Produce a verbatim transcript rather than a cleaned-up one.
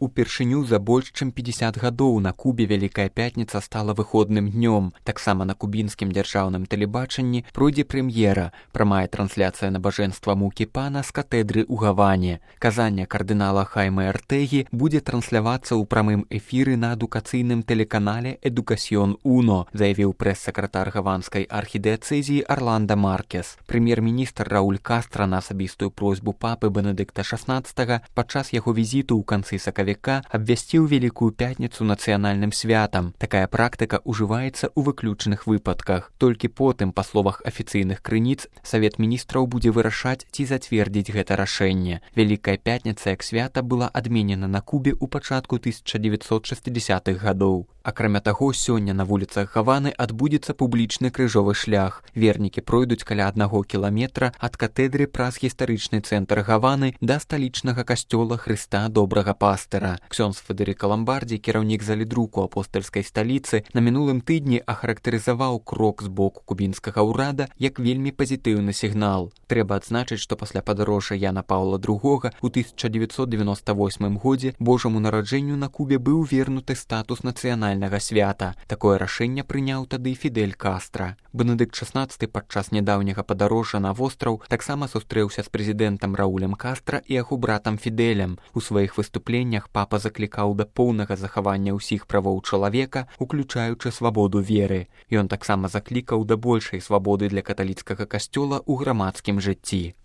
Упершыню за больш чым пятьдесят гадоў на Кубе Вялікая пятніца стала выходным днём. Таксама на кубінскім дзяржаўным тэлебачанні пройдзе прэм'ера, прамая трансляцыя набажэнства мукі пана з катэдры ў Гаване. Казанне кардынала Хайме Артегі будзе транслявацца ў прамым эфіры на адукацыйным тэлеканале «Эдукасьон Уно», заявіў прэс-сакратар гаванскай архідыяцэзіі Арланда Маркес. Прэм'ер-міністр Рауль Кастра на асабістую просьбу папы Бенедыкта шаснаццатага падчас яго візіту ў канцы сакавіка абвясціў Вялікую пятніцу нацыянальным святам. Такая практыка ўжываецца ў выключных выпадках. Толькі потым, па словах афіцыйных крыніц, Савет міністраў будзе вырашаць, ці зацвердзіць гэта рашэнне. Вялікая пятніца як свята была адменена на Кубе ў пачатку тысяча дзевяцьсот шэсцідзясятых гадоў. Акрамя таго, сёння на вуліцах Гаваны адбудзецца публічны крыжовы шлях. Вернікі пройдуць каля аднаго кіламетра ад катэдры праз гістарычны цэнтр Гаваны да сталічнага касцёла Хрыста Добрага Пастыра. Ксёндз Федэрыка Ламбардзі, кіраўнік залідруку апостальскай сталіцы, на мінулым тыдні ахарактарызаваў крок з боку кубінскага ўрада як вельмі пазітыўны сігнал. Трэба адзначыць, што пасля падарожжа Яна Паўла другога ў тысяча дзевяцьсот дзевяноста восьмым годзе Божаму нараджэнню на Кубе быў вернуты статус нацыянальнага свята. Такое рашэнне прыняў тады Фідель Кастра. Бенедыкт шаснаццаты падчас нядаўняга падарожжа на востраў таксама сустрэўся з прэзідэнтам Раулем Кастра і яго братам Фідэлем. У сваіх выступленнях папа заклікаў да поўнага захавання ўсіх правоў чалавека, уключаючы свабоду веры. Ён таксама заклікаў да большай свабоды для каталіцкага касцёла ў грамадскім жыцці.